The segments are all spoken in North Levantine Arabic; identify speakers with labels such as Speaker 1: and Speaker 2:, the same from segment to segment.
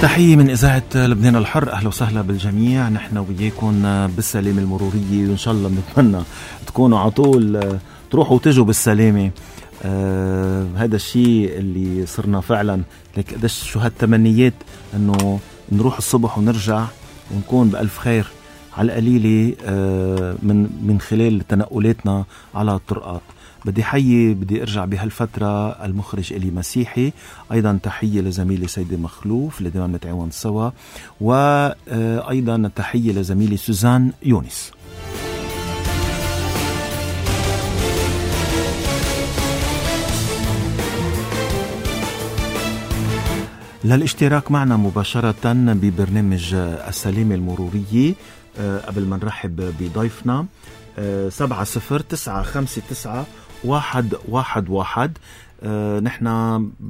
Speaker 1: تحية من إذاعة لبنان الحر. أهلا وسهلا بالجميع. نحن وياكم بالسلامة المرورية، وإن شاء الله بنتمنى تكونوا عطول تروحوا وتجوا بالسلامة. هذا الشيء اللي صرنا فعلا لك قديش شو هالتمنيات إنه نروح الصبح ونرجع ونكون بألف خير على القليلة من خلال تنقلاتنا على الطرقات. بدي ارجع بهالفترة المخرج إلي مسيحي، ايضا تحية لزميلي سيدي مخلوف اللي دائما نتعاون سوا، وايضا تحية لزميلي سوزان يونس. للاشتراك معنا مباشرة ببرنامج السلامة المرورية، قبل ما نرحب بضيفنا 70-959-111. نحن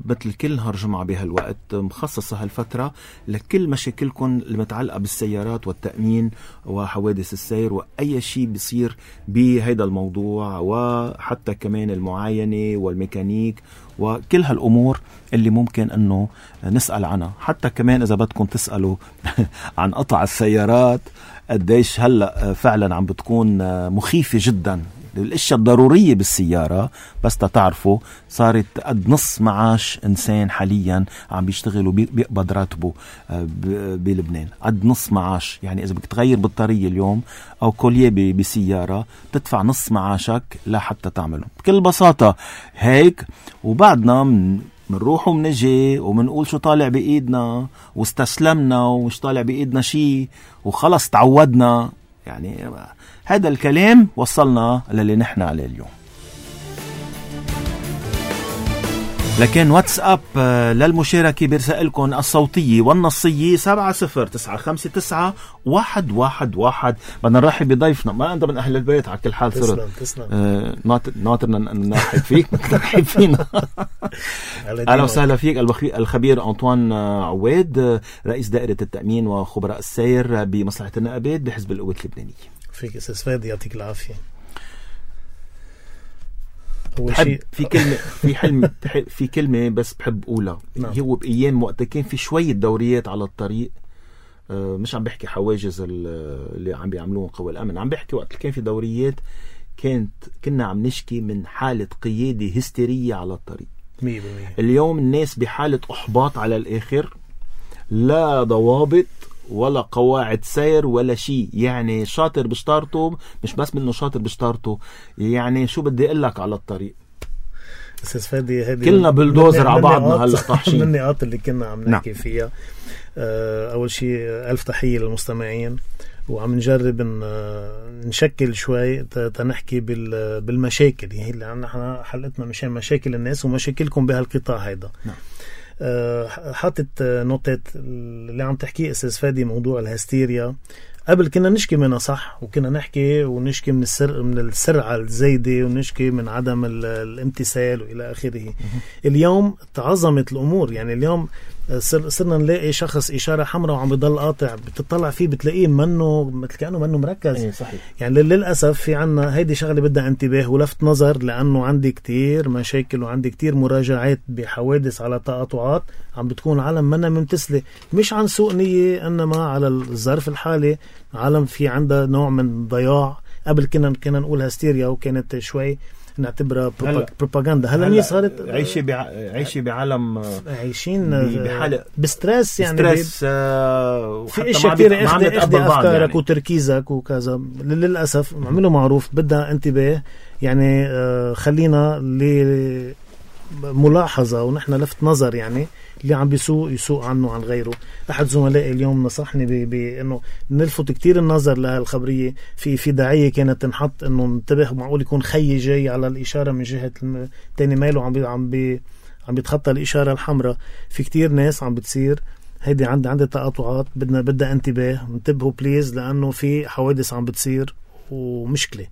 Speaker 1: مثل كل نهار جمعة بهالوقت مخصصة هالفترة لكل مشاكلكم المتعلقة بالسيارات والتأمين وحوادث السير وأي شيء بيصير بهيدا الموضوع، وحتى كمان المعاينة والميكانيك وكل هالأمور اللي ممكن أنه نسأل عنها. حتى كمان إذا بدكم تسألوا عن قطع السيارات قديش هلأ فعلا عم بتكون مخيفة جدا. الاشياء الضرورية بالسيارة بس تعرفوا صارت قد نص معاش إنسان حاليا عم بيشتغلوا بيقبض راتبه بلبنان، قد نص معاش. يعني إذا بدك تغير بطارية اليوم أو كوليه بسيارة تدفع نص معاشك لحتى تعمله بكل بساطة هيك. وبعدنا منروح ومنجي ومنقول شو طالع بإيدنا واستسلمنا ومش طالع بإيدنا شيء وخلص تعودنا. يعني هذا الكلام وصلنا للي نحن عليه اليوم. لكن واتساب للمشاركة برسائلكم الصوتية والنصية 70-959-111. بدنا نرحب بضيفنا. ما أنت من أهل البيت على كل حال صرت.
Speaker 2: تسلم.
Speaker 1: ناطرنا نرحب فيك نرحب فينا. أهلا وسهلا فيك الخبير أنطوان عواد، رئيس دائرة التأمين وخبراء السير بمصلحة النقابات بحزب القوات اللبنانية.
Speaker 2: فيك أستاذ فادي، يعطيك العافية.
Speaker 1: في كلمة بس بحب أقولها.
Speaker 2: نعم.
Speaker 1: هو بأيام وقت كان في شوية دوريات على الطريق، مش عم بحكي حواجز اللي عم بيعملوهم قوى الأمن، عم بحكي وقت كان في دوريات كنا عم نشكي من حالة قيادة هستيرية على الطريق
Speaker 2: 100%.
Speaker 1: اليوم الناس بحالة إحباط على الآخر، لا ضوابط ولا قواعد سير ولا شيء. يعني شاطر بشطارته، مش بس منه شاطر بشطارته، يعني شو بدي اقول لك على الطريق.
Speaker 2: استاذ فادي
Speaker 1: كلنا بلدوزر على بعضنا هلا طاحشين.
Speaker 2: من النقاط اللي كنا عم نحكي فيها. اول شيء الف تحية للمستمعين، وعم نجرب نشكل شوي تنحكي بالمشاكل. هي اللي نحن حلقتنا مشان مشاكل الناس ومشاكلكم بهالقطاع هيدا. نعم. حاطت نوتات اللي عم تحكي استاذ فادي، موضوع الهستيريا. قبل كنا نشكي منها صح، وكنا نشكي من السرعة الزايدة، ونشكي من عدم الامتثال وإلى آخره. اليوم تعظمت الأمور. يعني اليوم صرنا نلاقي شخص إشارة حمراء وعم بيضل قاطع، بتطلع فيه بتلاقيه مثل كأنه منه مركز.
Speaker 1: صحيح.
Speaker 2: يعني للأسف في عنا هيدي شغلة بدها انتباه ولفت نظر، لأنه عندي كتير مشاكل وعندي كتير مراجعات بحوادث على تقاطعات عم بتكون عالم منا ممتثلة، مش عن سوء نية، إنما على الظرف الحالي عالم في عندها نوع من ضياع. قبل كنا نقول هستيريا وكانت شوي نعتبرها بروباغندا. هلا صارت
Speaker 1: عايشة بعالم،
Speaker 2: عايشين
Speaker 1: بحالة
Speaker 2: بسترس. يعني
Speaker 1: سترس،
Speaker 2: في اشياء كتير اخذ افكارك
Speaker 1: يعني.
Speaker 2: وتركيزك وكذا. للأسف عملوا معروف بدها انتباه. يعني خلينا لملاحظة ونحن لفت نظر، يعني اللي عم يسوق عنه عن غيره. أحد زملائي اليوم نصحني بأنه نلفت كتير النظر لهالخبرية. في داعية كانت تنحط أنه انتبه، معقول يكون خي جاي على الإشارة من جهة تاني ماله عم بيتخطى الإشارة الحمراء. في كتير ناس عم بتصير هيدي عندي تقاطعات، بدنا انتباه، انتبهوا بليز، لأنه في حوادث عم بتصير ومشكلة.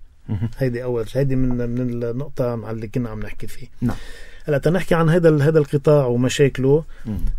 Speaker 2: هيدي من النقطة مع اللي كنا عم نحكي فيه.
Speaker 1: نعم.
Speaker 2: هلا تنحكي عن هذا القطاع ومشاكله.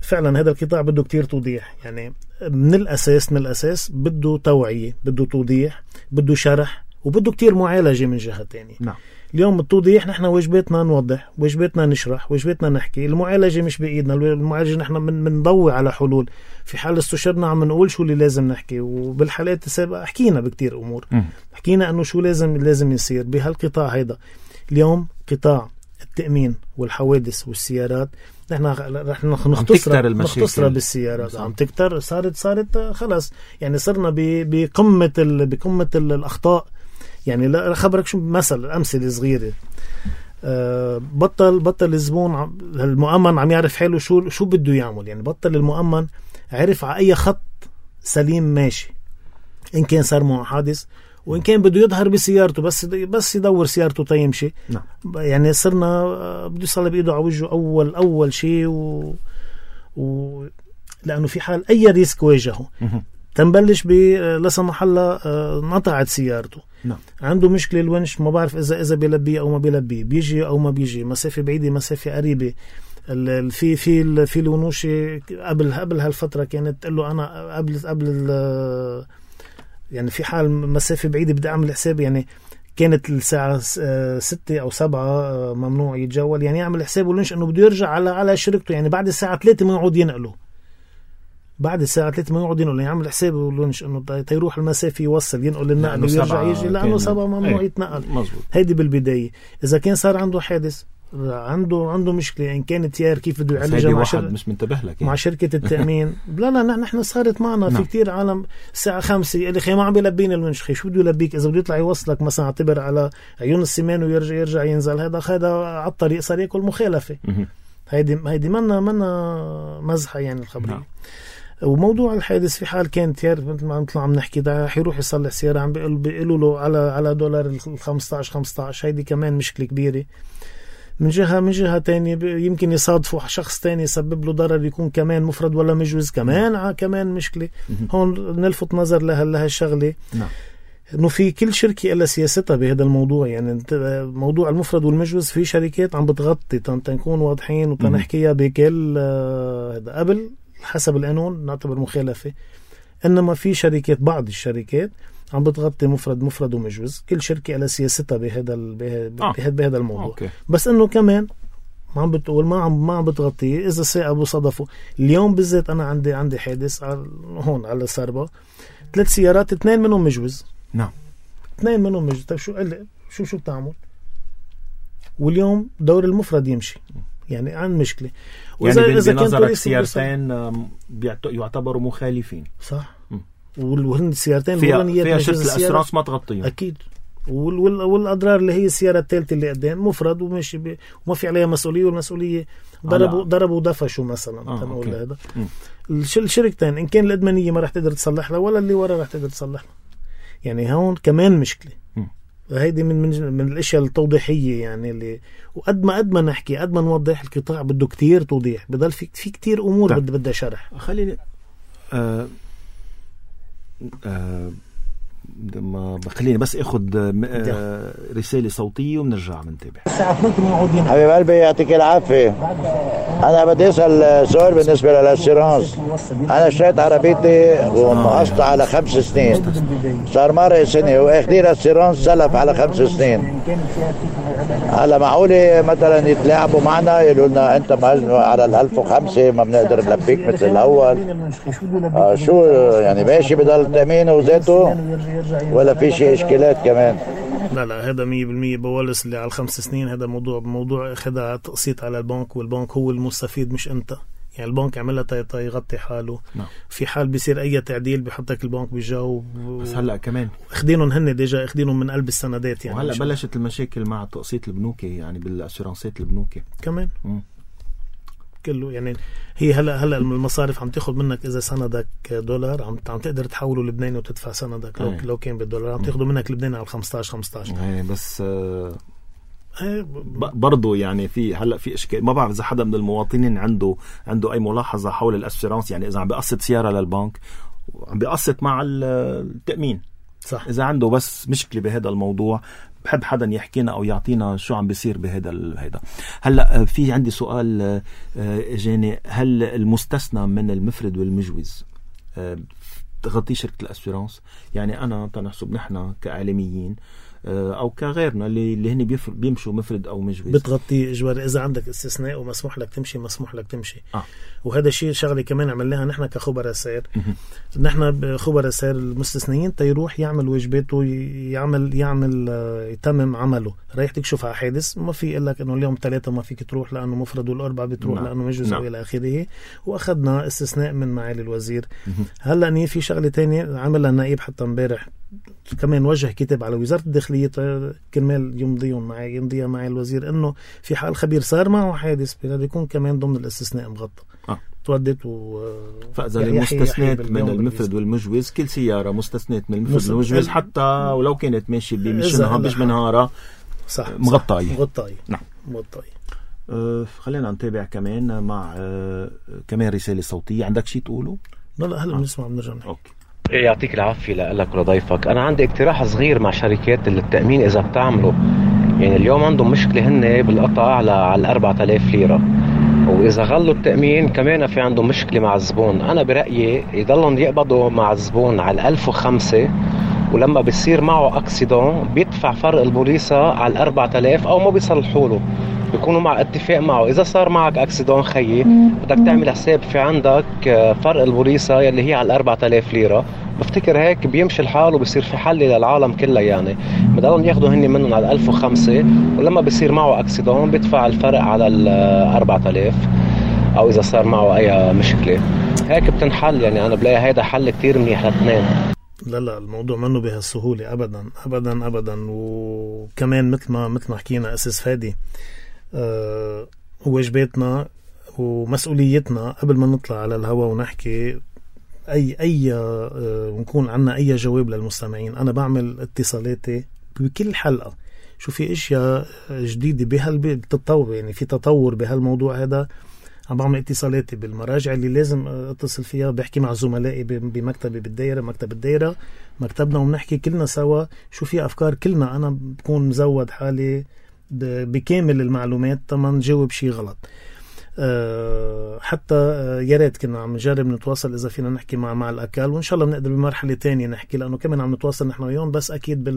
Speaker 2: فعلا هذا القطاع بده كتير توضيح. يعني من الأساس بده توعية، بده توضيح، بده شرح، وبده كتير معالجة من جهة تانية.
Speaker 1: نعم.
Speaker 2: اليوم التوضيح نحن واجباتنا نوضح، واجباتنا نشرح، واجباتنا نحكي. المعالجة مش بإيدنا، المعالجة نحن منضوي على حلول. في حال استشرنا عم نقول شو اللي لازم نحكي، وبالحالات السابقة حكينا بكتير أمور، حكينا أنه شو لازم يصير بهالقطاع هيدا. اليوم قطاع التأمين والحوادث والسيارات نحن رح نختصر بالسيارات، عم تكتر، صارت خلاص يعني صرنا بقمة الأخطاء. يعني لا خبرك شو أمثلة صغيرة، بطل الزبون المؤمن عم يعرف حاله شو بده يعمل. يعني بطل المؤمن عرف على أي خط سليم ماشي، إن كان صار معه حادث وإن كان بده يظهر بسيارته بس يدور سيارته تيمشي.
Speaker 1: نعم. يعني
Speaker 2: صرنا بده يصلي بإيده على وجهه أول شيء لأنه في حال أي ريسك واجهه تنبلش لا سمح الله نطعت سيارته.
Speaker 1: نعم.
Speaker 2: عنده مشكلة الونش، ما بعرف إذا بيلبيه أو ما بيلبيه، بيجي أو ما بيجي، مسافة بعيدة مسافة قريبة. في الونوشة قبل هالفترة كانت تقول له أنا قبل يعني في حال مسافة بعيدة بدي أعمل حساب، يعني كانت الساعة 6 أو 7 ممنوع يتجول، يعني يعمل حساب ولنش أنه بده يرجع على شركته، يعني بعد الساعة 3 ما يقعد ينقله، يعمل حساب ولنش أنه تيروح المسافة يوصل ينقل النقل ويرجع يجي، لأنه 7 ممنوع يتنقل. هيدي بالبداية. إذا كان صار عنده حادث، عنده مشكلة إن كانت تيار كيف بده يعالجها
Speaker 1: مش منتبه لك يعني.
Speaker 2: مع شركة التأمين. لا نحن صارت معنا في كتير عالم الساعة 5 اللي خي ما عم بيلبيني الونش، خي شو بده يلبيك؟ إذا بده يطلع يوصلك مثلا اعتبر على عيون السمان ويرجع ينزل، هذا على الطريق صار ياكل مخالفة. هيدي منا مزحة يعني الخبرية. وموضوع الحادث في حال كان تيار مثل ما عم نحكي ده حيروح يصلح سيارة عم بيقولوا له على دولار 15. هيدي كمان مشكلة كبيرة. من جهة تانية يمكن يصادفوا شخص تاني يسبب له ضرر، يكون كمان مفرد ولا مجوز، كمان مشكلة. هون نلفت نظر لهالشغلة.
Speaker 1: نعم.
Speaker 2: انه في كل شركة إلا سياستها بهذا الموضوع. يعني موضوع المفرد والمجوز في شركات عم بتغطي تنكون واضحين وتنحكيها بكل هذا قبل حسب القانون نعتبر مخالفة. انما في شركات، بعض الشركات عم بتغطي مفرد ومجوز. كل شركة على سياستها بهذا الموضوع.
Speaker 1: أوكي.
Speaker 2: بس انه كمان ما عم بتقول ما عم بتغطيه اذا سائق بصدفه. اليوم بالذات انا عندي حادث هون على السربة، 3 سيارات 2 منهم مجوز.
Speaker 1: نعم.
Speaker 2: 2 منهم مجوز. طيب شو بتعمل؟ واليوم دور المفرد يمشي، يعني عن مشكلة.
Speaker 1: يعني بنظرك سيارتين يعتبروا مخالفين.
Speaker 2: صح. وهن السيارتين
Speaker 1: فيها شركة الأسرانس ما تغطيهم
Speaker 2: أكيد. والأضرار اللي هي السيارة الثالثة اللي قدام مفرد وماشي وما في عليها مسؤولية، والمسؤولية ضربوا ودفشوا مثلا. تنقول هذا الشركتين إن كان الأدمنية ما رح تقدر تصلح لها ولا اللي ورا رح تقدر تصلح لها. يعني هون كمان مشكلة. هيدي من الاشياء التوضيحيه يعني اللي وقد ما نحكي قد ما نوضح القطاع بده كتير توضيح، بضل في كتير امور بدها شرح.
Speaker 1: خليني خليني بس اخذ رساله صوتيه وبنرجع بنتابع.
Speaker 3: حبيب قلبي يعطيك العافيه. انا بدي اسال سؤال بالنسبه للاسيرانس. انا اشتريت عربيتي ومقسطة على 5 سنين، صار مرة سنه واخدين الاسيرانس سلف على 5 سنين. هلا معقوله مثلا يتلاعبوا معنا يقولوا لنا انت على 1005 ما بنقدر نلبيك مثل الاول؟ شو يعني ماشي بضل التامين وذاته ولا في شيء اشكالات كمان؟
Speaker 2: لا هذا 100% بولس اللي على 5 سنين. هذا موضوع اخذها تقسيط على البنك، والبنك هو المستفيد مش انت. يعني البنك عملها يغطي حاله.
Speaker 1: نعم.
Speaker 2: في حال بيصير اي تعديل بيحطك البنك بيجاوب.
Speaker 1: بس هلا كمان
Speaker 2: اخدينهم هن ديجا اخدينهم من قلب السندات يعني.
Speaker 1: وهلا بلشت المشاكل مع تقسيط البنوكي، يعني بالاسيرانسات البنوكي
Speaker 2: كمان. كله يعني هي هلا المصارف عم تاخذ منك اذا سندك $، عم تقدر تحوله لبناني وتدفع سندك لو كان بالدولار عم تاخذوا منك لبناني على 15.
Speaker 1: بس برضو يعني في اشكال. ما بعرف اذا حدا من المواطنين عنده اي ملاحظه حول الاسيرانس. يعني اذا عم بيقسط سياره للبنك عم بيقسط مع التامين،
Speaker 2: صح.
Speaker 1: اذا عنده بس مشكله بهذا الموضوع بحب حدا يحكينا او يعطينا شو عم بيصير بهذا. هلا في عندي سؤال جاني، هل المستثنى من المفرد والمجوز تغطي شركه الاسيرانس؟ يعني انا تنحسب نحن كاعلاميين او كغيرنا اللي هن بيمشوا مفرد او مجوز
Speaker 2: بتغطي اجباري. اذا عندك استثناء ومسموح لك تمشي مسموح لك تمشي. وهذا الشيء شغله كمان عملناها نحن كخبراء سير. نحن بخبراء سير المستثنيين تيروح يعمل واجباته يتمم عمله. رايح تكشف على حادث ما في يقول لك انه اليوم 3 ما فيك تروح لانه مفرد والاربعه بتروح لانه مجوز الى اخره. واخذنا استثناء من معالي الوزير. هلا في شغله تانية عملها النائب حتى امبارح كمان وجه كتاب على وزارة الداخلية كرمال يمضيها معي الوزير انه في حال خبير صار معه حادث بده يكون كمان ضمن الاستثناء مغطى. تودت
Speaker 1: فاذا المستثنات من المفرد والمجوز كل سيارة مستثنات من المفرد والمجوز حتى ولو كانت ماشي مش بنهارها
Speaker 2: صح
Speaker 1: مغطاية.
Speaker 2: نعم مغطاية.
Speaker 1: خلينا نتابع كمان مع كمان رسالة صوتية. عندك شيء تقوله؟
Speaker 2: لا هلا بنسمع بنرجع نحكي.
Speaker 4: اوكي يعطيك العافية لك ولضيفك. أنا عندي اقتراح صغير مع شركات التأمين إذا بتعملوا يعني اليوم عندهم مشكلة هن بالقطع على 4000 ليرة وإذا غلوا التأمين كمان في عندهم مشكلة مع الزبون. أنا برأيي يضلهم يقبضوا مع الزبون على 1005 ولما بيصير معه أكسيدون بيدفع فرق البوليصة على 4000 أو ما بيصلحوا له بيكونوا مع اتفاق معه. إذا صار معك أكسيدون خيي بدك تعمل حساب في عندك فرق البوليصة يلي هي على 4000 ليرة. بفتكر هيك بيمشي الحال وبصير في حل للعالم كلها. يعني بدلهم ياخدوا هني منهم على 1005 ولما بصير معه أكسيدون بيدفع الفرق على 4000 أو إذا صار معه أي مشكلة هيك بتنحل. يعني أنا بلاقي هيدا حل كتير منيح لاثنين.
Speaker 2: لا الموضوع منه بهالسهولة أبدا أبدا أبدا. وكمان مثل ما حكينا أساس فادي واجباتنا ومسؤوليتنا قبل ما نطلع على الهواء ونحكي ونكون عنا أي جواب للمستمعين. أنا بعمل اتصالاتي بكل حلقة شو في إشياء جديدة بتتطور. يعني في تطور بهالموضوع هذا. عم بعمل اتصالاتي بالمراجع اللي لازم اتصل فيها. بحكي مع زملائي بمكتبي بالدائرة مكتب الدائرة مكتبنا وبنحكي كلنا سوا شو في أفكار كلنا. أنا بكون مزود حالي بكامل المعلومات تما نجاوب شيء غلط. حتى يا ريت كنا عم نجرب نتواصل إذا فينا نحكي مع الأكل وإن شاء الله بنقدر بمرحلة تانية نحكي لأنه كمان عم نتواصل نحن وياهم بس أكيد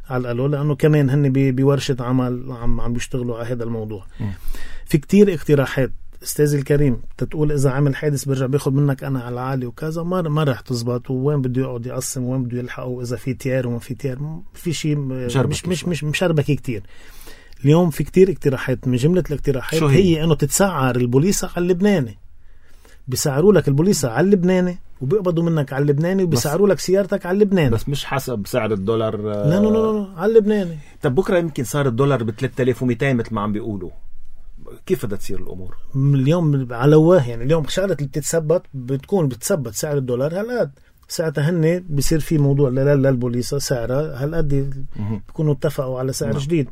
Speaker 2: على الألو لأنه كمان هن بورشة عمل عم بيشتغلوا على هذا الموضوع. في كتير اقتراحات استاذي الكريم تقول إذا عمل حادث برجع بياخد منك أنا على العالي وكذا ما رح تزبط. وين بده يقعد يقسم وين بده يلحقه إذا في تيار وما في تيار في شيء مش مشربكي كتير. اليوم في كتير اقتراحات. من جملة الاقتراحات هي انه تتسعر البوليصة على اللبناني. بيسعروا لك البوليصة على اللبناني وبيقبضوا منك على اللبناني وبيسعروا لك سيارتك على اللبناني بس
Speaker 1: مش حسب سعر الدولار.
Speaker 2: لا على اللبناني.
Speaker 1: طب بكرة يمكن صار الدولار ب 3200 مثل ما عم بيقولوا. كيف بدها تصير الأمور
Speaker 2: اليوم على واه؟ يعني اليوم شغلة اللي بتثبت سعر الدولار هالقد ساعتها هن بيصير في موضوع للبوليصة سعرها هالقد بيكونوا اتفقوا على سعر جديد.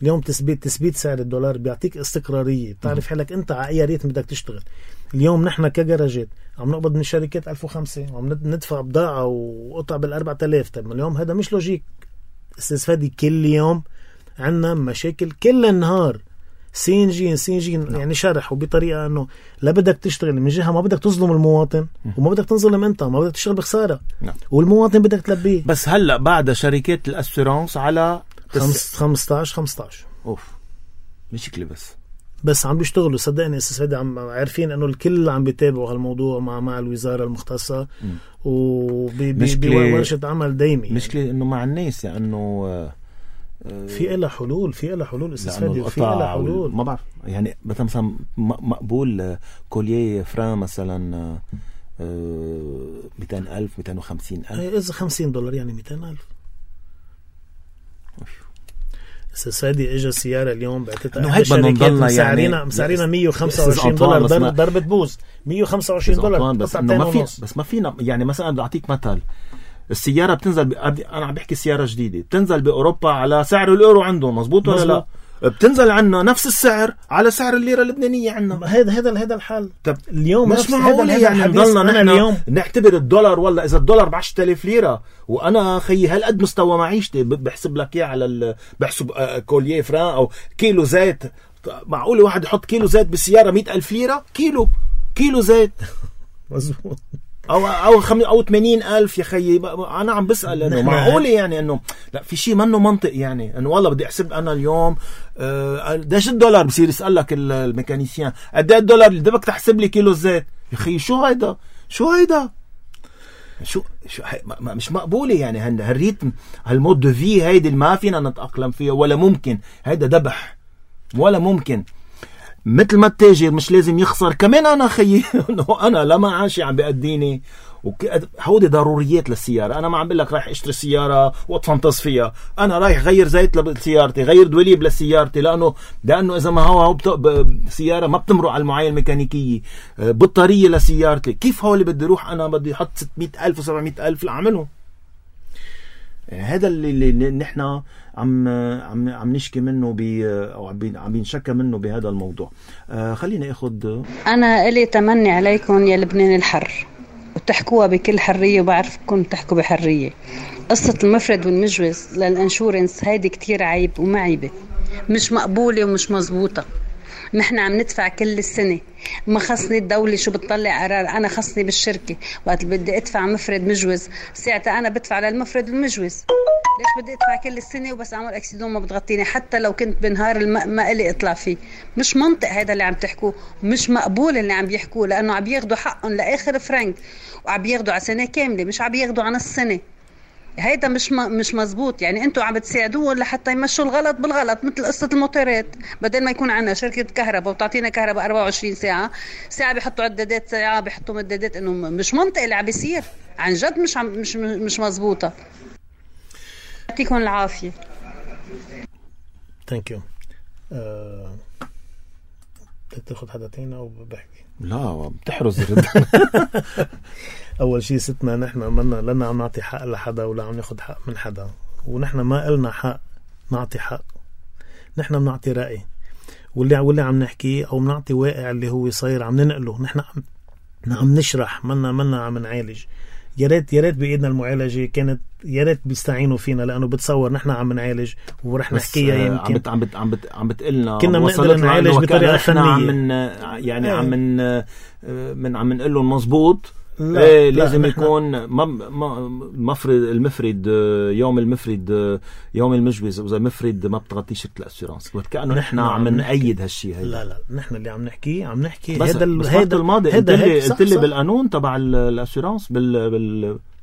Speaker 2: اليوم تثبيت سعر الدولار بيعطيك استقرارية. بتعرف حالك انت على اي ريت بدك تشتغل. اليوم نحن كجراجات عم نقبض من الشركات 1005 وعم ندفع بضاعة وقطع بال4000. طيب اليوم هذا مش لوجيك استاذ فادي. كل يوم عنا مشاكل كل النهار. سينجين يعني شرح وبطريقة انه لا بدك تشتغل من جهة ما بدك تظلم المواطن وما بدك تنظلم انت ما بدك تشتغل بخسارة والمواطن بدك تلبيه.
Speaker 1: بس هلأ بعد شركات الاسيرانس على
Speaker 2: 15
Speaker 1: اوف مشكلة بس
Speaker 2: عم بيشتغلوا صدقني استاذ فادي. عم عارفين انه الكل عم بيتابعوا هالموضوع مع الوزارة المختصة وبورشة عمل دايمي.
Speaker 1: مشكلة انه مع الناس يعني انه
Speaker 2: في إلها حلول استاذ فادي. في إلها حلول
Speaker 1: ما بعرف يعني مثلا مقبول كوليه فران مثلا 200,000 250,000
Speaker 2: إذا $50 يعني 200,000. استاذ فادي اجى السيارة اليوم بعتتها
Speaker 1: هيك بدنا نضلنا يعني
Speaker 2: مسعرينا $125 ضربة بوز $125
Speaker 1: بس ما فينا يعني مثلا بدي اعطيك مثل. السيارة بتنزل انا عم بحكي سيارة جديدة بتنزل باوروبا على سعر الايرو عندهم مزبوط ولا لا؟ بتنزل عنا نفس السعر على سعر الليرة اللبنانية عنا.
Speaker 2: هذا الحال.
Speaker 1: طب
Speaker 2: اليوم
Speaker 1: مش معقول يعني نضلنا نحن اليوم نعتبر الدولار والله إذا الدولار ب10,000 ليرة وأنا خيي هالقد مستوى معيشتي بحسب لك إياه على بحسب كوليه فران أو كيلو زيت. معقول واحد يحط كيلو زيت بالسيارة 100,000 ليرة كيلو زيت
Speaker 2: مزبوط.
Speaker 1: أو 80,000 يا خيي. أنا عم بسأل إنه معقولة يعني إنه لا في شيء منه منطق يعني إنه والله بدي أحسب أنا اليوم قديش $1 بصير يسألك الميكانيسيان قد ايه $1 اللي بدك تحسب لي كيلو زيت يا خيي. شو هيدا شو مش مقبولة يعني. هالريتم هالمود دو في هيدي ما فينا نتأقلم فيها ولا ممكن. هيدا دبح ولا ممكن. مثل ما التاجر مش لازم يخسر كمان أنا خيي. أنا لما عاشي عم بيقديني هودي ضروريات للسيارة. أنا ما عم بقول لك رايح اشتري سيارة واتفنطس فيها. أنا رايح غير زيت لسيارتي غير دوليب لسيارتي لأنه إذا ما هو سيارة ما بتمرق على المعاينة الميكانيكية بطارية لسيارتي كيف هو اللي بدي روح أنا بدي حط 600,000 و700,000 لأعمله. هذا اللي نحن عم نشكي منه أو عم بنشكى منه بهذا الموضوع. خلينا أخذ.
Speaker 5: أنا إلي تمني عليكم يا لبنان الحر وتحكوها بكل حرية وبعرفكم تحكوا بحرية. قصة المفرد والمجوز للانشورنس هيدي كتير عيب ومعيبة مش مقبولة ومش مزبوطة. نحن عم ندفع كل السنة ما خصني الدولة شو بتطلع قرار. أنا خصني بالشركة وقت بدي أدفع مفرد مجوز ساعتها أنا بدفع للمفرد والمجوز. ليش بدي أدفع كل السنة وبس أعمل أكسيدون ما بتغطيني حتى لو كنت بنهار ما إلي أطلع فيه؟ مش منطق هذا اللي عم تحكوه. مش مقبول اللي عم بيحكوه لأنه عم ياخدوا حقهم لآخر فرنك وعم ياخدوا على سنة كاملة مش عم ياخدوا على نص سنة. هيدا مش مزبوط يعني. انتوا عم بتساعدوهم لحتى يمشوا الغلط بالغلط مثل قصة الموتورات. بدل ما يكون عنا شركة كهرباء وتعطينا كهرباء 24 ساعة بيحطوا عدادات ساعة بيحطوا مدادات. انه مش منطق اللي عم بيصير عن جد. مش مزبوطة. يعطيكم العافية.
Speaker 2: ثانك يو. بدك تاخذ حدا تاني او بحكي؟
Speaker 1: لا بتحرز الرد.
Speaker 2: اول شيء ستنا نحن لنا عم نعطي حق لحدا ولا عم ناخذ حق من حدا. ونحن ما قلنا حق نعطي حق. نحن بنعطي رأي واللي عم نحكي او بنعطي واقع اللي هو صاير عم ننقله. نحن عم نشرح منا عم نعالج. يا ريت بإيدنا المعالجة كانت. يا ريت بيستعينوا فينا لأنه بتصور نحن عم نعالج ورح نحكيها. يمكن
Speaker 1: عم بتقلنا
Speaker 2: كنا بنقدر نعالج بطريقة فنية
Speaker 1: يعني عم نقول له مزبوط. لازم يكون المفرد يوم المجوز إذا مفرد ما بتغطي شركة الأسيرانس وكأنه نحن عم نأيد هالشيء هيدا.
Speaker 2: لا نحن اللي عم نحكي
Speaker 1: هذا الماضي قلت لي بالقانون تبع الأسيرانس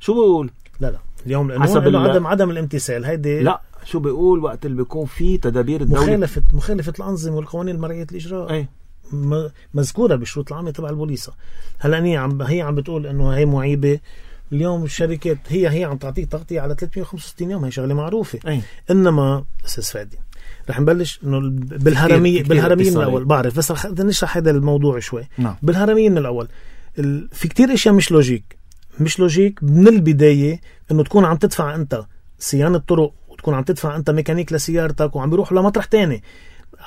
Speaker 1: شو بقول؟
Speaker 2: لا اليوم القانون عدم الامتثال هيدي. لا
Speaker 1: شو بيقول وقت اللي بيكون في تدابير الدولة
Speaker 2: مخالفة الأنظمة والقوانين المرعية الإجراء.
Speaker 1: أي
Speaker 2: مذكورة بالشروط العامة تبع البوليصة. هلا هي عم بتقول انه هي معيبة. اليوم الشركات هي عم تعطيك تغطية على 365 يوم. هي شغلة معروفة. انما استاذ فادي رح نبلش انه بالهرمية من الاول. بعرف بس رح نشرح هذا الموضوع شوي. بالهرمية من الاول في كتير اشياء مش لوجيك من البداية انه تكون عم تدفع انت صيانة طرق وتكون عم تدفع انت ميكانيك لسيارتك وعم بيروح لمطرح تاني.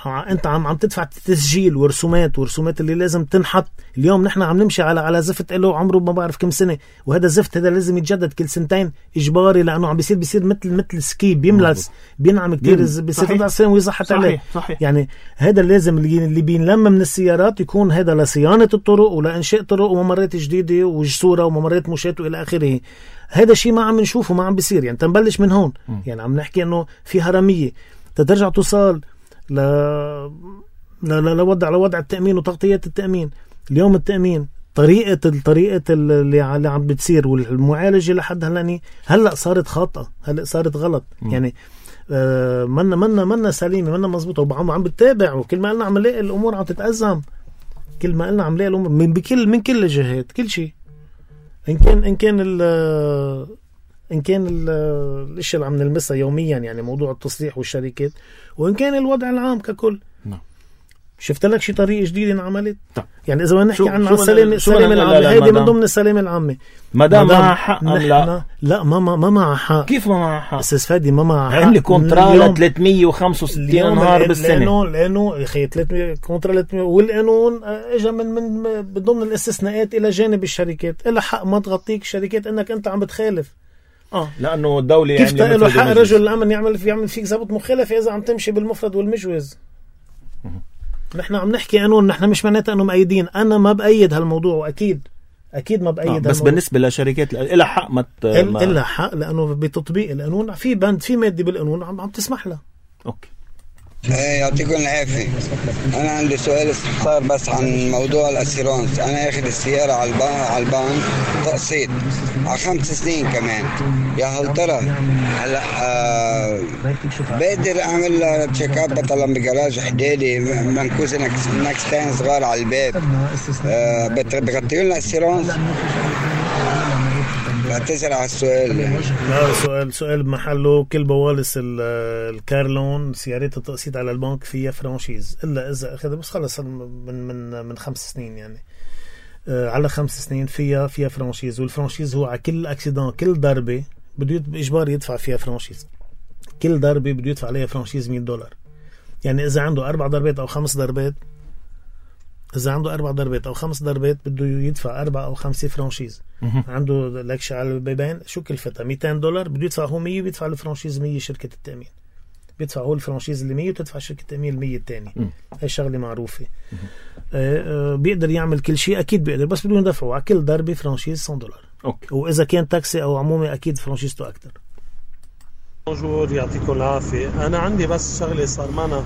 Speaker 2: انت عم تدفع تسجيل ورسومات اللي لازم تنحط. اليوم نحن عم نمشي على زفت له عمره ما بعرف كم سنة. وهذا الزفت هذا لازم يتجدد كل سنتين اجباري لانه عم بيصير مثل سكي بيملس بينعم كتير بيصير 4 سنين ويزحت عليه. يعني هذا لازم اللي بينلم من السيارات يكون هذا لصيانة الطرق ولا انشاء طرق وممرات جديدة وجسورة وممرات مشاة والى اخره. هذا شيء ما عم نشوفه ما عم بيصير. يعني تنبلش من هون. يعني عم نحكي انه في هرمية ترجع توصل لوضع التأمين وتغطية التأمين. اليوم التأمين طريقة اللي عم بتصير والمعالجة لحد هلأ صارت خاطئة. هلأ صارت غلط. يعني منا سليمة منا مزبوطة وعم بتتابع. وكل ما قلنا عم نلاقي الأمور عم تتأزم. كل ما قلنا عم نلاقي الأمور من كل الجهات كل شيء. إن كان الاشياء اللي عم نلمسها يوميا يعني موضوع التصليح والشركات وإن كان الوضع العام ككل. شفت لك شي طريقة جديدة انعملت؟ يعني إذا ما نحكي عن السلامة العامة هيدي من ضمن السلامة العامة.
Speaker 1: مدام معها حق
Speaker 2: لا ما معها حق.
Speaker 1: كيف ما معها حق؟
Speaker 2: أستاذ فادي ما معها حق.
Speaker 1: عندي كونترا 365 نهار بالسنة.
Speaker 2: لأنه يا أخي 300 كونترا 300 والقانون إجا من ضمن الاستثناءات إلى جانب الشركات. إلا حق ما تغطيك الشركات إنك أنت عم بتخالف.
Speaker 1: لأنه الدولة
Speaker 2: كيف له حق رجل الأمن يعمل فيك ضابط مخالفة إذا عم تمشي بالمفرد والمجوز. نحن عم نحكي قانون. نحن مش معناتها أنه مأيدين. أنا ما بأيد هالموضوع وأكيد اكيد ما بايد.
Speaker 1: بس بالنسبه لشركات لها حق
Speaker 2: لها حق، لانه بتطبيق القانون في بند، في ماده بالقانون عم تسمح لها.
Speaker 1: اوكي.
Speaker 6: يعطيكم العافية. أنا عندي سؤال استفسار بس عن موضوع الأسيرانس. أنا أخذ السيارة على البنك تقسيط على 5 سنين كمان. يا هل ترى هلا بقدر أعمل تشيك اب مثلا بجراج حدادي منكوز نكستين صغار على الباب بغطيوا لنا الأسيرانس؟ بعتذر على السؤال يعني.
Speaker 2: لا، سؤال بمحله. كل بوالص الكارلون سيارات التقسيط على البنك فيها فرانشيز، الا اذا اخذ بس خلص من 5 سنين يعني. على 5 سنين فيها فرانشيز، والفرانشيز هو على كل اكسيدان، كل ضربه بده اجباري يدفع فيها فرانشيز. كل ضربه بده يدفع عليها فرانشيز $100. يعني اذا عنده 4 ضربات او 5 ضربات، إذا عنده 4 ضربات أو 5 ضربات بده يدفع 4 أو 5 فرانشيز. عنده لكش على البيبان شو كلفتها $200 بده يدفع هو 100، بيدفع الفرانشيز 100 شركة التأمين. بيدفع هو الفرانشيز اللي 100 وتدفع شركة التأمين 100 الثاني. هاي شغلة معروفة. بيقدر يعمل كل شيء، أكيد بيقدر، بس بدون يدفعوا على كل ضربة فرانشيز $100.
Speaker 1: أوكي.
Speaker 2: وإذا كان تاكسي أو عمومي أكيد فرانشيزته أكتر.
Speaker 7: موجود. يعطيكم العافية. أنا عندي بس شغلة صار معنا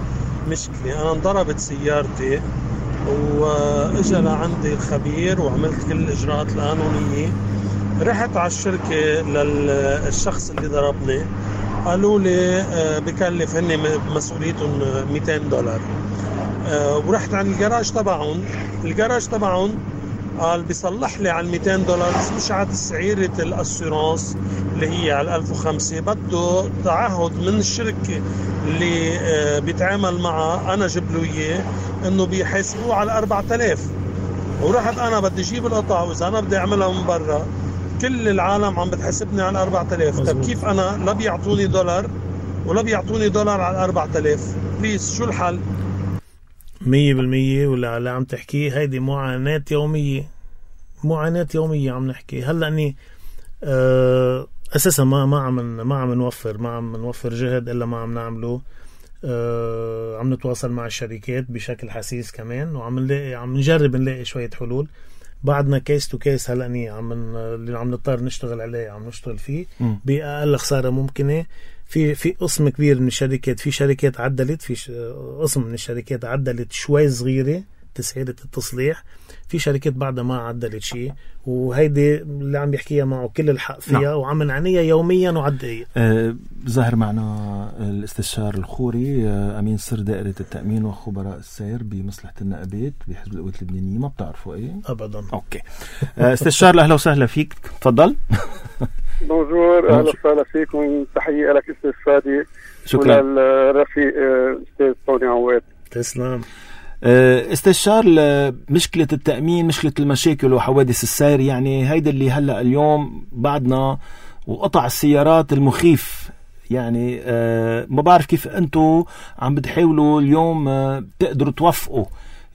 Speaker 7: مشكلة. أنا انضربت سيارتي واجا لعندي الخبير وعملت كل الإجراءات القانونية. رحت على الشركة للشخص اللي ضربني، قالوا لي بكلف هني مسؤوليتهم $200. ورحت عند الجراج تبعهم قال بيصلح لي على $200 بس مش على سعيرة الأسيرانس اللي هي على 1005. بده تعهد من الشركة اللي بيتعامل معها، أنا جيب له إياه إنه بيحاسبوه على 4000. ورحت أنا بدي أجيب القطع، وإذا أنا بدي أعملها من برا كل العالم عم بتحاسبني على 4000. طب كيف أنا لا بيعطوني $1 ولا بيعطوني $1 على 4000؟ بليز شو الحل؟
Speaker 2: 100% ولا عم تحكي هيدي معاناة يومية عم نحكي. هلا اني اساسا ما عم نوفر جهد الا ما عم نعمله. عم نتواصل مع الشركات بشكل حسيس كمان، عم نجرب نلاقي شوية حلول. بعدنا كيس تو كيس هلا اني اللي عم نضطر نشتغل عليه عم نشتغل فيه بأقل خسارة ممكنة. في قسم كبير من الشركات، في شركات عدلت، في قسم من الشركات عدلت شوي صغيرة تسعيرة التصليح، في شركات بعدها ما عدلت شيء، وهيدي اللي عم يحكيها معه كل الحق فيها. وعم نعنيها يوميا وعدقية.
Speaker 1: ظهر معنا الاستشار الخوري أمين سر دائرة التأمين وخبراء السير بمصلحة النقابات بحزب القوات اللبنانية. ما بتعرفوا ايه؟
Speaker 2: أبدا.
Speaker 1: أوكي. استشار أهلا وسهلا فيك، تفضل.
Speaker 8: بونجور، اهلا وسهلا فيكم. تحيه لك استاذ فادي.
Speaker 1: شكرا.
Speaker 8: وللرفيق استاذ طوني عواد.
Speaker 2: تسلم.
Speaker 1: استشار مشكلة التأمين، مشكلة المشاكل وحوادث السير، يعني هيدا اللي هلأ اليوم بعدنا، وقطع السيارات المخيف. يعني ما بعرف كيف أنتوا عم بتحاولوا اليوم تقدروا توفقوا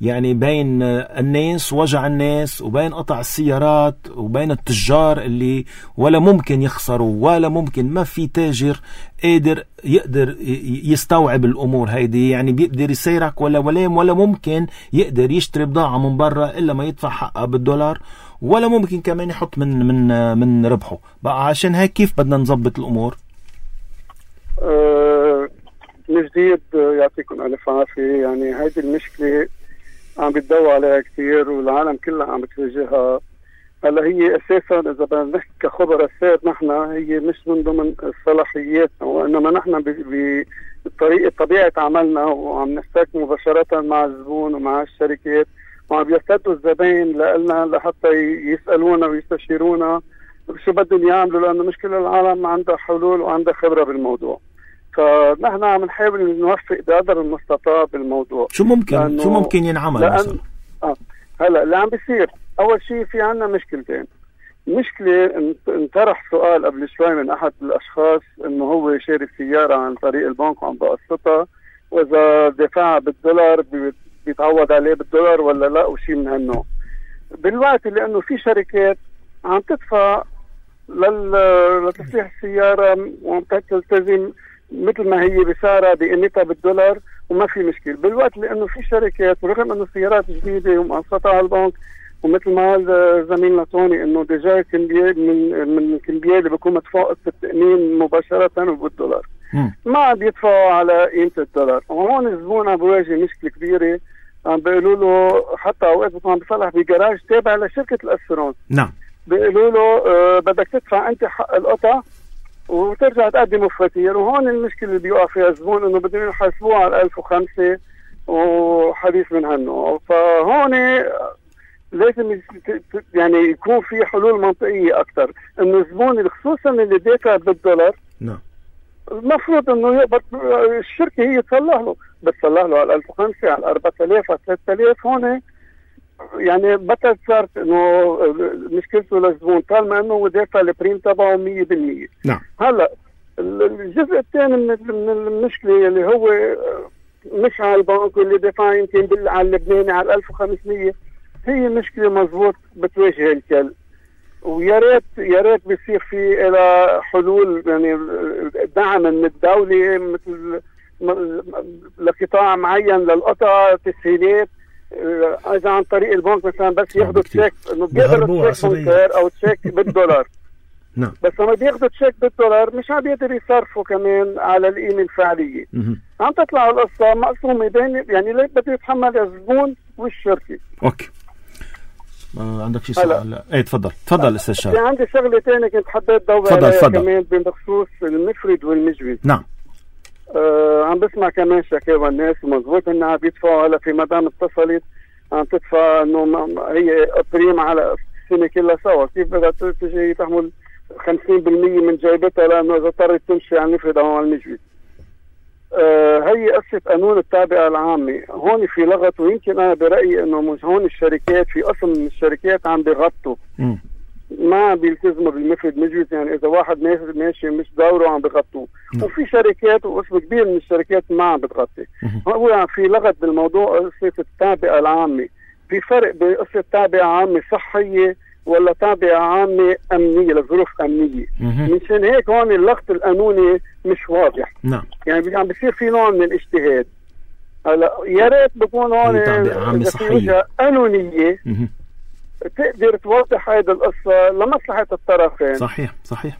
Speaker 1: يعني بين الناس، وجع الناس، وبين قطع السيارات، وبين التجار اللي ولا ممكن يخسروا، ولا ممكن، ما في تاجر يقدر يستوعب الأمور هيدي. يعني بيقدر يسيرك ولا ممكن يقدر يشتري بضاعة من برا إلا ما يدفع حقها $1، ولا ممكن كمان يحط من ربحه بقى. عشان هيك كيف بدنا نظبط الأمور؟
Speaker 8: من جديد يعطيكم ألف عافية. يعني هيدي المشكلة عم بتدور عليها كثير والعالم كلها عم بتواجهها. هلا هي اساسا اذا بدنا نحكي كخبراء السير، نحن هي مش من ضمن صلاحياتنا، وانما نحن بطبيعه عملنا وعم نحتك مباشره مع الزبون ومع الشركات، وعم بيرتدوا الزبائن لنا لحتى يسالونا ويستشيرونا شو بدهم يعملوا، لانه مش كل العالم عندها حلول وعندها خبره بالموضوع. فنحن عم نحاول نوفق بقدر المستطاع بالموضوع.
Speaker 1: شو ممكن ينعمل مثلا؟
Speaker 8: هلا اللي عم بيصير، اول شيء في عنا مشكلتين. مشكله انطرح سؤال قبل شوي من احد الاشخاص انه هو شاري سياره عن طريق البنك وعم بقسطها، واذا دفعها $1 بيتعوض عليه $1 ولا لا، وشيء من هالنوع. بالوقت اللي انه في شركات عم تدفع لتصليح السياره وعم تلتزم مثل ما هي بسعرها بقيمتها $1 وما في مشكله. بالوقت لانه في شركات ورغم انه السيارات جديده ومقسطها على البنك ومثل ما قال زميلنا توني انه ديجا كمبيال من الكمبيال اللي بيكون مدفوع التأمين مباشرة بالدولار ما عم يدفعوا على قيمة الدولار. وهون الزبون عم بيواجه مشكلة كبيرة. عم بيقولوا له حتى اوقات بيكون عم بيصلح بجراج تابع لشركة الاسيرونس بيقولوا له بدك تدفع انت حق القطع وترجع تقدم فواتير. وهون المشكلة اللي بيوقع فيها الزبون انه بدهم يحاسبوه على 1005 وحديث من هنو. فهون لازم يعني يكون في حلول منطقية أكثر إنه الزبون خصوصا اللي دافع بالدولار المفروض إنه يقبض الشركة هي تصلح له، بتصلح له على 1005 على 4000 على 3000. هون يعني بطل صارت إنه مشكلته للزبون طالما إنه دافع البريم تبعه 100%.
Speaker 1: نعم.
Speaker 8: هلا الجزء الثاني من المشكلة اللي هو مش على البنك اللي دفع يمكن على اللبناني على 1500 هي مشكلة مضبوط بتواجه الكل. ويا ريت بيصير في إلى حلول يعني دعم من الدولة مثل لقطاع معين للقطع تسهيلات إذا عن طريق البنك مثلا بس ياخذوا تشيك إنه بيقدروا تشيك بنكر أو تشيك بالدولار.
Speaker 1: نعم.
Speaker 8: بس لما بياخذوا تشيك بالدولار مش عم بيقدر يصرفوا كمان على القيمة الفعلية. عم تطلع القصة مقسومة بين يعني ليه بده يتحمل الزبون والشركة.
Speaker 1: اوكي. عندك شيء سؤال؟ ايه تفضل استاذ شارع.
Speaker 8: في عندي شغله ثانيه كنت حبيت ضوي عليها كمان بخصوص المفرد والمجوز.
Speaker 1: نعم.
Speaker 8: عم بسمع كمان شكاوى الناس ومضبوط انها عم بيدفعوا هلا في مدام اتصلت عم تدفع انه هي بريم على السنه كلها سوا. كيف بدها تجي تحمل 50% من جيبتها لانه اذا اضطرت تمشي على المفرد او على المجوز. هي قصة قانون التابعة العامة. هون في لغط ويمكن أنا برأيي إنه مش هون الشركات في قسم من الشركات عم بيغطوا ما بيلتزموا بالمفرد مجوز. يعني إذا واحد ماشي مش دوره عم بيغطوه. وفي شركات وقسم كبير من الشركات ما عم بتغطي. هو في لغط بالموضوع قصة التابعة العامة. في فرق بين قصة تابعة عامة صحية ولا تابعة عامة أمنية لظروف أمنية. منشان هيك هون اللغط القانوني مش واضح.
Speaker 1: نعم.
Speaker 8: يعني عم بيصير في نوع من الاجتهاد. هلا يا ريت بكون هون
Speaker 1: تابعة عامة صحية
Speaker 8: قانونية تقدر توضح هذه القصة لمصلحة الطرفين.
Speaker 1: صحيح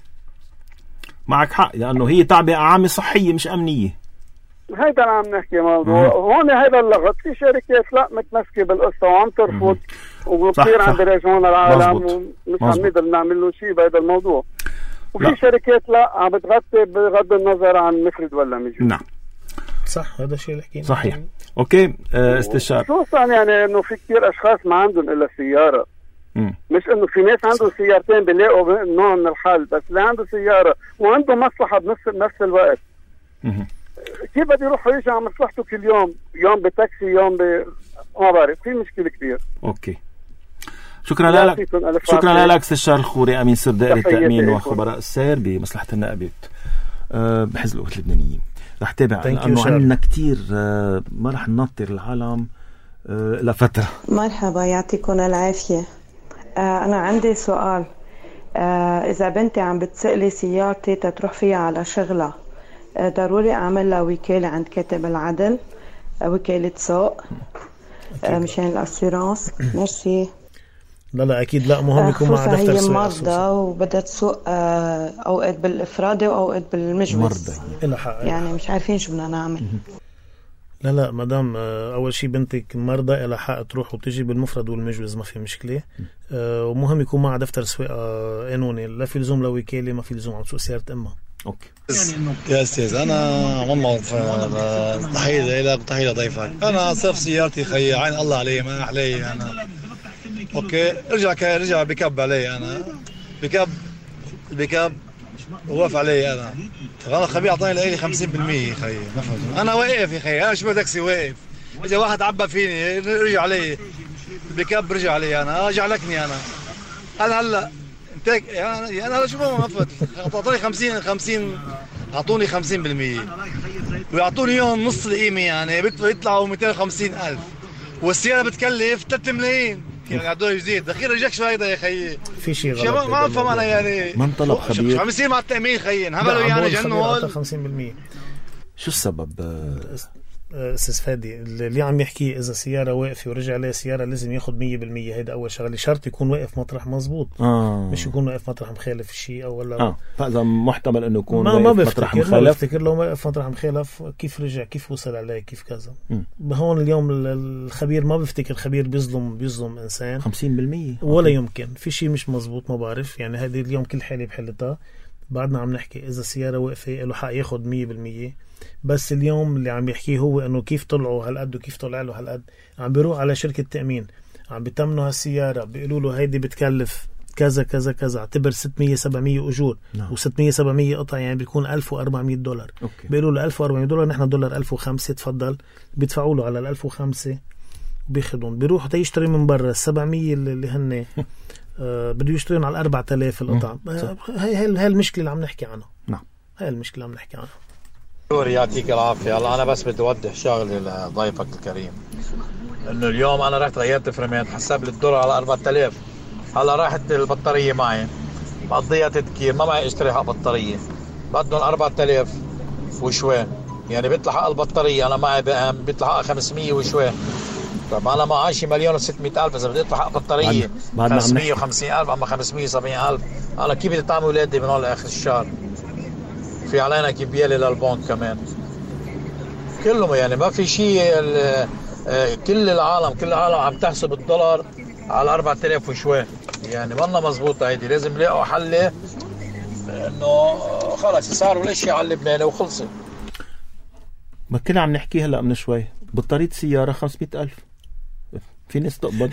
Speaker 1: معك حق لأنه هي تابعة عامة صحية مش أمنية.
Speaker 8: هيدا اللي عم نحكي موضوع. هون هيدا اللغط. في شركات لا متمسكة بالقصة وعم ترفض وكثير عم بيراجعون العالم ومش عم نقدر نعمل له شيء بهذا الموضوع. وفي شركات لا عم بتغطي بغض النظر عن مفرد ولا مجوز.
Speaker 1: نعم
Speaker 2: صح هذا الشيء اللي حكينا.
Speaker 1: صحيح. اوكي استشار.
Speaker 8: خصوصا يعني انه في كثير اشخاص ما عندهم الا سيارة. مش انه في ناس عندهم سيارتين بيلاقوا نوع من الحل. بس اللي عنده سيارة وعنده مصلحة بنفس الوقت كيف بده يروح ويجي على مصلحته كل يوم بتاكسي يوم ما بعرف. في مشكلة كبير.
Speaker 1: اوكي شكرا لك استشار الخوري امين سر دائرة التأمين وخبراء السير بمصلحة النائبات بحزب القوات اللبنانيين. رح تابع لانه عندنا كتير ما رح ننطر العالم لفترة.
Speaker 9: مرحبا يعطيكم العافية. انا عندي سؤال. اذا بنتي عم بتسألي سيارتي تروح فيها على شغلها ضروري اعمل لها وكالة عند كاتب العدل وكالة سوق مشان الاسيرانس؟ ميرسي.
Speaker 2: لا اكيد لا مهم يكون مع دفتر
Speaker 9: سواقة. هي مرضى وبدها تسوق اوقات بالافرادي واوقات بالمجوز يعني مش عارفين شو بدنا نعمل.
Speaker 2: لا مدام اول شيء بنتك مرضى لها حق تروح وتجي بالمفرد والمجوز ما في مشكله. ومهم يكون مع دفتر سواقه قانوني. لا في لزوم لوكاله ما في لزوم عم تسوق سياره امها.
Speaker 1: اوكي
Speaker 10: يا استاذ انا والله تحيه لك وتحيه لضيفك. انا صرف سيارتي خي عين الله علي ما علي انا. اوكي رجع بكب علي انا بكب وقف علي انا خبير اعطاني لي 50% خي ما فهمت. انا واقف يا خي انا شو تاكسي واقف. اجى واحد عبى فيني رجع علي بكب رجع علي انا جعلكني انا هلا يعني انا شو ما فهمت. اعطوني 50 اعطوني 50% ويعطوني يوم نص القيمه يعني بيطلعوا 250,000 والسياره بتكلف 3 ملايين. يعني عدوه جديد دخيل رجعك شو هيدا يا خيي.
Speaker 2: في شيء غلط
Speaker 10: ما افهم انا يعني
Speaker 1: من طلب خبير
Speaker 10: عم يصير مع التأمين خيي انهبلوا يعني جنوا.
Speaker 2: 50%.
Speaker 1: شو السبب؟
Speaker 2: أستاذ فادي اللي عم يحكي إذا سيارة واقفة ورجع عليها سيارة لازم ياخد 100%. هيدا أول شغلة، شرط يكون واقف مطرح مزبوط، مش يكون واقف مطرح مخالف الشيء أو ولا
Speaker 1: فإذا محتمل إنه يكون
Speaker 2: ما مطرح مخالف. ما بفتكر لو واقف مطرح مخالف كيف رجع، كيف وصل عليه، كيف كذا. هون اليوم الخبير ما بفتكر خبير بيظلم إنسان
Speaker 1: 50%
Speaker 2: ولا يمكن، في شيء مش مزبوط ما بعرف. يعني هذه اليوم كل حالة بحلتها. بعدنا عم نحكي إذا السيارة واقفة له حق ياخد 100%. بس اليوم اللي عم يحكيه هو انه كيف طلعوا هالقد وكيف طلع له هالقد. عم بيروح على شركة تأمين، عم بيتمنوا هالسيارة، بيقولوا له هيدي بتكلف كذا كذا كذا، اعتبر 600-700 أجور و600-700 قطع، يعني بيكون $1400. بيقولوا له $1400، نحن دولار 1005 تفضل. بيدفعوا له على 1005 وبياخدون. بيروح يشتري من برا 700 اللي هن بده يشترون على 4000 القطع. هاي المشكلة اللي عم نحكي عنها.
Speaker 1: نعم،
Speaker 2: هاي المشكلة اللي عم نحكي عنها.
Speaker 10: يعطيك العافية. هلا أنا بس بدي أوضح شغلة لضيفك الكريم، إنه اليوم أنا رحت غيرت فريمات، حسب لي الدولار على 4000. هلا راحت البطارية معي مقضيها تذكير، ما معي اشتري حق بطارية، بدهم 4000 وشوي، يعني بيطلع حق البطارية أنا معي بيطلع حق 500 وشوي. طب أنا معي شي 1,600,000 إذا بدي أدفع حق بطارية 550,000 أما 570,000، أنا كيف بدي أطعم أولادي من هون لآخر الشهر؟ في علينا كبيالي للبنك كمان كلهم. يعني ما في شيء. كل العالم عم تحسب الدولار على 4000 وشوي، يعني ما مزبوطة هيدي. لازم يلاقوا حل انه خلص صاروا الاشياء على اللبناني وخلصت.
Speaker 1: ما كنا عم نحكي هلا من شوي بطارية سيارة 500,000. في ناس تقبض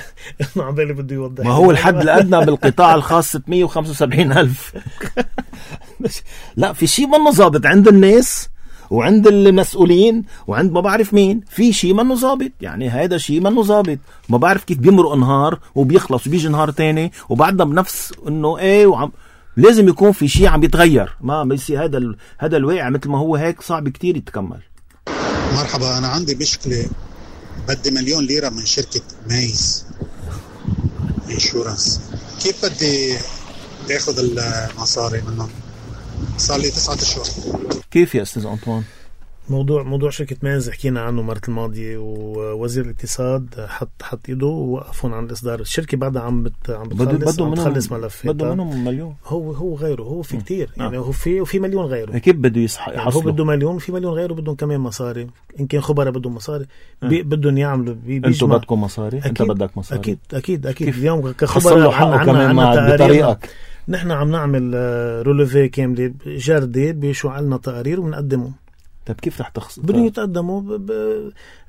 Speaker 2: ما عم بالي بده يوضح.
Speaker 1: ما هو الحد الأدنى بالقطاع الخاص 675,000. لا، في شيء منه ظابط عند الناس وعند المسؤولين وعند ما بعرف مين. في شيء منه ظابط، يعني هذا شيء منه ظابط. ما بعرف كيف بيمرق نهار وبيخلص وبيجي نهار تاني وبعدنا بنفس انه ايه لازم يكون في شيء عم يتغير. ما بيصير هذا الواقع مثل ما هو هيك صعب كتير يتكمل.
Speaker 11: مرحبا، أنا عندي مشكلة، بدي 1,000,000 ليرة من شركة مايز انشورنس. كيف بدي اخذ المصاري منهم؟ صار لي 9 أشهر.
Speaker 1: كيف يا أستاذ أنطوان؟
Speaker 2: موضوع شركة مايز حكينا عنه مرة الماضية، ووزير الاقتصاد حط يده ووقفون عن الإصدار. الشركة بعدها عم بتخلص ملفات.
Speaker 1: بده منهم 1,000,000.
Speaker 2: هو غيره، هو في كتير يعني. هو في 1,000,000 غيره.
Speaker 1: كيف بده يحصلوا؟
Speaker 2: هو بده 1,000,000 في 1,000,000 غيره بدهم كمان مصاري. إن كان خبراء بدهم مصاري بدهم يعملوا.
Speaker 1: أنتوا بدكم مصاري؟ أنت بدك مصاري؟
Speaker 2: أكيد اليوم كخبراء عنا تقارير. نحن عم نعمل رولوفي كاملة جردة بشو عنا تقارير وبنقدمهم.
Speaker 1: طيب كيف رح تخسر؟
Speaker 2: بدهم يتقدموا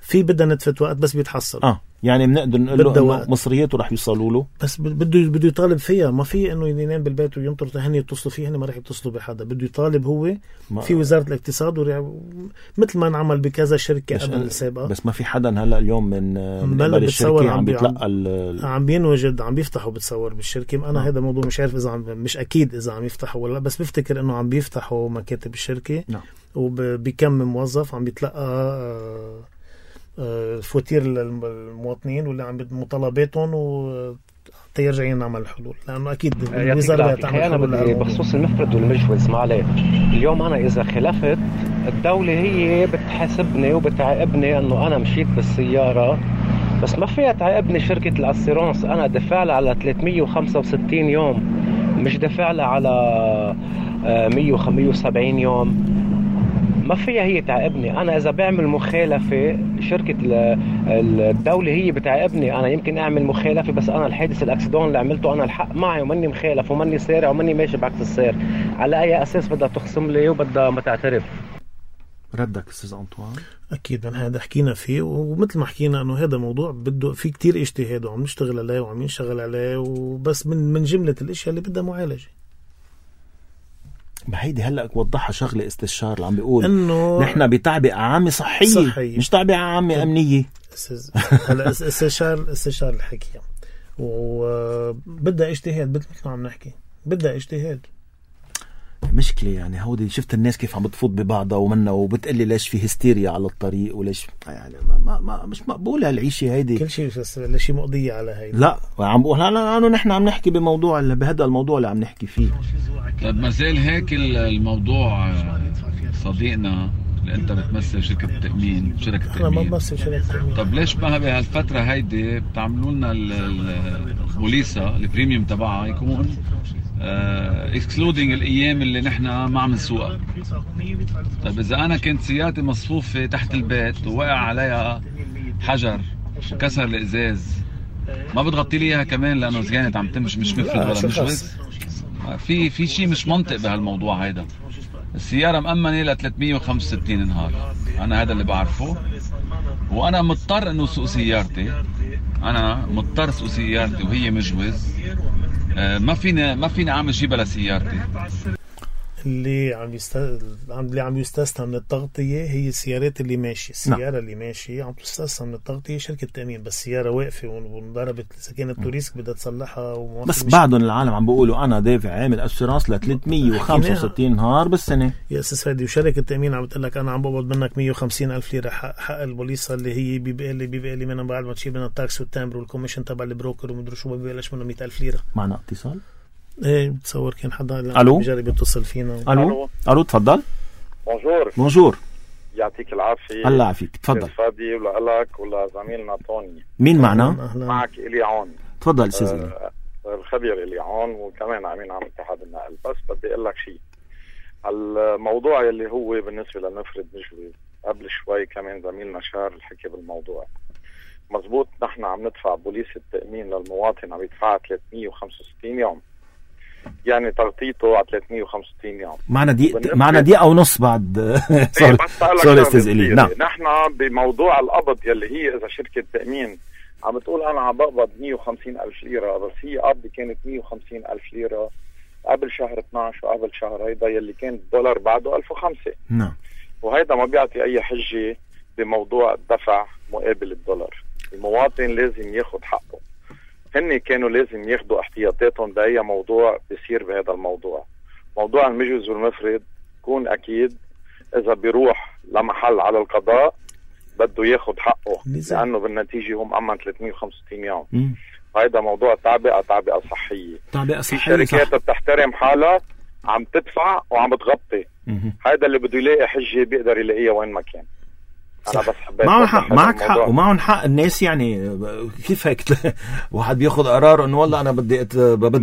Speaker 2: في بدها نتفة وقت بس بيتحصل.
Speaker 1: يعني بنقدر نقول له مصرياته رح يوصلوا له،
Speaker 2: بس بده يطالب فيها. ما في انه ينام بالبيت وينطر هن يتصلوا فيه، هن ما رح يتصلوا بحدا. بده يطالب هو في وزارة الاقتصاد مثل ما انعمل بكذا شركة قبل السابقة.
Speaker 1: بس ما في حدا هلا اليوم من قبل الشركة عم بيتلقى
Speaker 2: عم بينوجد، عم بيفتحوا بتصور بالشركة. انا هذا موضوع مش عارف اذا مش اكيد اذا عم يفتحوا ولا، بس بفتكر انه عم بيفتحوا مكاتب الشركة. وبكم موظف عم بيتلقى فواتير للمواطنين واللي عم مطالباتهم وتيرجعين نعمل الحلول، لأنه أكيد الوزارة تعمل حلول.
Speaker 4: بخصوص المفرد والمجوز معلي، اليوم أنا إذا خلفت الدولة هي بتحاسبني وبتعاقبني أنه أنا مشيت بالسيارة، بس ما فيها تعاقبني شركة الأسيرونس. أنا دفع لها على 365 يوم، مش دفع لها على 170 يوم. ما فيها هي تعاقبني. أنا إذا بعمل مخالفة شركة الدولة هي بتعاقبني. أنا يمكن أعمل مخالفة بس أنا الحادث الأكسيدون اللي عملته أنا الحق معي ومني مخالف ومني سارع ومني ماشي بعكس السير. على أي أساس بدها تخصم لي وبدها ما تعترف؟
Speaker 1: ردك أستاذ أنطوان؟
Speaker 2: أكيد من هذا حكينا فيه، ومثل ما حكينا أنه هذا موضوع بده في كتير اجتهاد وعم نشتغل عليه وعم ينشغل عليه، وبس من جملة الاشياء اللي بدها معالجة.
Speaker 1: ما هيدي هلأ وضحها شغلة استشار اللي عم بيقول إنه نحن بتعبئة عامة صحية مش تعبئة عامة أمنية.
Speaker 2: هلا استشار الحكي وبدها اجتهاد، مثل ما عم نحكي بدها اجتهاد.
Speaker 1: مشكلة يعني هودي شفت الناس كيف عم بتفوت ببعضها ومنا وبتقلي ليش في هستيريا على الطريق وليش يعني ما مش مقبولة هالعيشة هيدي.
Speaker 2: كل شيء مقضية على هيدي.
Speaker 1: لا عم بقول أنا نحن عم نحكي بموضوع بهذا الموضوع اللي عم نحكي فيه.
Speaker 12: طب ما زال هيك الموضوع صديقنا انت بتمثل شركة التأمين، شركة التأمين.
Speaker 2: انا ما بمثل شركة التأمين.
Speaker 12: طب ليش ما بهالفترة هيدي بتعملوا لنا البوليسة البريميوم تبعها يكون اكسكلودينج الايام اللي نحن ما عم نسوقها؟ طيب اذا انا كنت سيارتي مصفوفة تحت البيت ووقع عليها حجر وكسر الازاز، ما بتغطي لي اياها كمان لانه كانت عم تمشي مش مفرد ولا مشوز؟ في شيء مش منطق بهالموضوع هيدا. السيارة مأمنة ل 365 نهار، أنا هذا اللي بعرفه، وأنا مضطر إنه سوق سيارتي، أنا مضطر سوق سيارتي وهي مجوز. ما فينا عم جيبها لسيارتي.
Speaker 2: اللي عم يستثنى من التغطية هي السيارات اللي ماشية. السيارة اللي ماشية عم تستثنى من التغطية شركة تأمين، بس السيارة واقفة وانضربت إذا كانت توريسك بدها تصلحها.
Speaker 1: بس بعدهم العالم عم بيقولوا أنا دافع عامل أسيرانس ل 365 نهار بالسنة
Speaker 2: يا أساس فادي، وشركة التأمين عم بتقول لك أنا عم بقبض منك 150,000 ليرة حق البوليصة اللي هي بيبقى لي منها بعد ما تشيل منها التاكس والتامبر والكوميشن تبع البروكر ومدري شو، ببلاش منه 100,000 ليرة.
Speaker 1: معنا اتصال؟
Speaker 2: ايه بتصور كان حدا بيجرب يتصل فينا.
Speaker 1: الو تفضل. بونجور.
Speaker 13: يعطيك العافيه.
Speaker 1: الله يعافيك، تفضل.
Speaker 13: فادي ولك ولا زميلنا طوني.
Speaker 1: مين معنا؟
Speaker 13: معك إلي عون.
Speaker 1: تفضل استاذ
Speaker 13: الخبير إلي عون، وكمان امين عام اتحاد النقل. بس بدي اقول لك شيء، الموضوع اللي هو بالنسبه للمفرد مجوز، قبل شوي كمان زميلنا شار الحكي بالموضوع مزبوط. نحن عم ندفع بوليس التأمين للمواطن، عم يدفع 365 يوم، يعني تغطيته على 365 يوم.
Speaker 1: معنا دقيقة ونص بعد. سوري استاذ إلي. نعم.
Speaker 13: نحن بموضوع القبض يلي هي اذا شركة تأمين عم بتقول انا عم بقبض 150,000 ليرة، بس هي قبضي كانت 150,000 ليرة قبل شهر 12 وقبل شهر هيدا يلي كان الدولار بعده 1005.
Speaker 1: نعم.
Speaker 13: وهيدا ما بيعطي اي حجة بموضوع الدفع مقابل الدولار. المواطن لازم ياخد حقه. هن كانوا لازم ياخدوا احتياطاتهم بأي موضوع بيصير بهذا الموضوع. موضوع المجوز والمفرد كون أكيد إذا بيروح لمحل على القضاء بده ياخد حقه، لأنه بالنتيجة هم أمن 365 يوم. هيدا موضوع تعبئة صحية. في شركات بتحترم حالها عم تدفع وعم بتغطي. هيدا اللي بده يلاقي حجة بيقدر يلاقيها وين ما كان. أنا بس
Speaker 1: معك حق ومعهم حق الناس. يعني كيف هيك واحد بياخد قرار انه والله انا بدي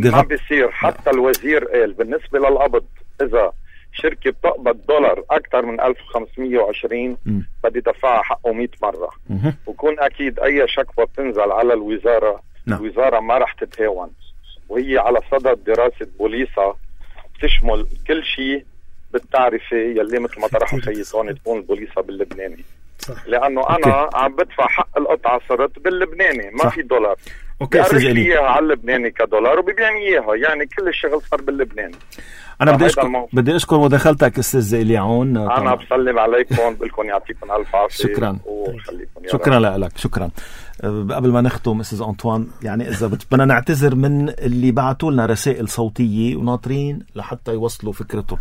Speaker 13: ما بيصير. حتى الوزير قال بالنسبة للقبض اذا شركة بتقبض دولار اكثر من 1520 بدي دفعها حقه 100 مرة. وكون اكيد اي شكوى بتنزل على الوزارة الوزارة ما رح تتهاون، وهي على صدد دراسة بوليصة تشمل كل شيء بالتعرفة يلي مثل ما طرح خيطون تكون البوليصة باللبناني. صح. لأنه أنا عم بدفع حق القطعة صرت باللبناني، ما في دولار. بيعرف إياها على اللبناني كدولار وبيبيعني إياها، يعني كل الشغل صار باللبناني.
Speaker 1: أنا بدي أشكر مداخلتك أستاذ إلي عون.
Speaker 13: أنا بسلم عليكم، بقولكم يعطيكم ألف عافية.
Speaker 1: شكرا. شكرا لك. شكرا. قبل ما نختم أستاذ أنطوان، يعني إذا بدنا نعتذر من اللي بعتوا لنا رسائل صوتية وناطرين لحتى يوصلوا فكرتهم،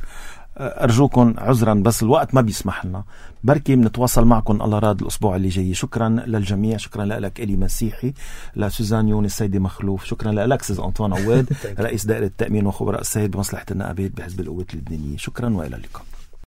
Speaker 1: أرجوكم عذرا بس الوقت ما بيسمح لنا. بركي بنتواصل معكم الله راد الأسبوع اللي جاي. شكرا للجميع. شكرا لك إلي مسيحي، لسوزان يونس، سيدي مخلوف. شكرا لك أستاذ أنطوان عواد رئيس دائرة التأمين وخبراء السيد بمصلحة النقابات بحزب القوات اللبنانية. شكرا وإلى اللقاء.